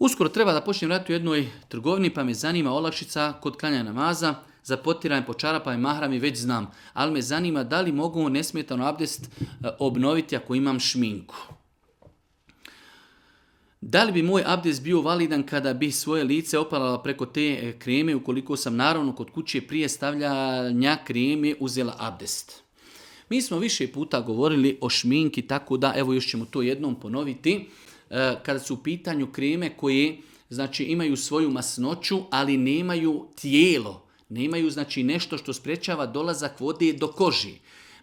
Uskoro treba da počnem raditi u jednoj trgovini, pa me zanima olakšica kod klanja namaza, za potiranje po čarapa i mahrami već znam, ali me zanima da li mogu nesmetano abdest obnoviti ako imam šminku. Da li bi moj abdest bio validan kada bi svoje lice opalala preko te kreme ukoliko sam naravno kod kuće prije stavljanja kreme uzela abdest? Mi smo više puta govorili o šminki, tako da evo još ćemo to jednom ponoviti. Kada su u pitanju kreme koje znači, imaju svoju masnoću, ali nemaju tijelo, nemaju znači, nešto što sprečava dolazak vode do koži.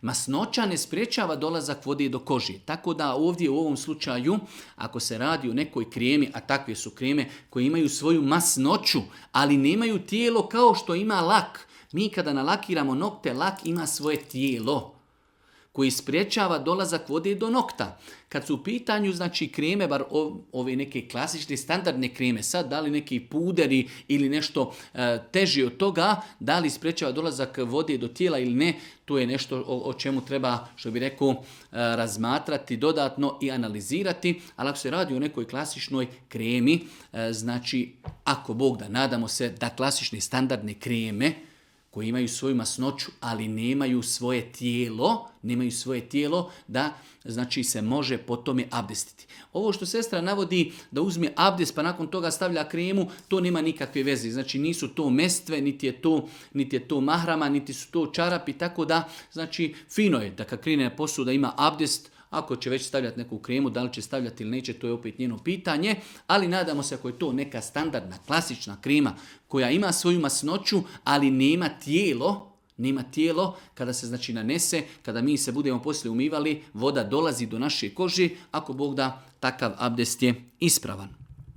Masnoća ne sprečava dolazak vode do koži. Tako da ovdje u ovom slučaju, ako se radi o nekoj kremi, a takve su kreme koje imaju svoju masnoću, ali nemaju tijelo kao što ima lak. Mi kada nalakiramo nokte, lak ima svoje tijelo koji sprječava dolazak vode do nokta. Kad su u pitanju znači, kreme, bar ove neke klasične standardne kreme, sad da li neki puderi ili nešto teži od toga, da li sprječava dolazak vode do tijela ili ne, to je nešto o čemu treba, što bi rekao, razmatrati dodatno i analizirati. Ali ako se radi o nekoj klasičnoj kremi, znači ako Bog da, nadamo se da klasične standardne kreme koji imaju svoju masnoću, ali nemaju svoje tijelo, da znači se može po tome abdestiti. Ovo što sestra navodi da uzme abdest pa nakon toga stavlja kremu, to nema nikakve veze. Znači nisu to mestve, niti je to mahrama, niti su to čarapi, tako da znači fino je da kad krene posao da ima abdest. Ako će već stavljati neku kremu, da li će stavljati ili neće, to je opet njeno pitanje, ali nadamo se ako je to neka standardna, klasična krema koja ima svoju masnoću, ali nema tijelo, kada se znači nanese, kada mi se budemo poslije umivali, voda dolazi do naše kože, ako Bog da, takav abdest je ispravan.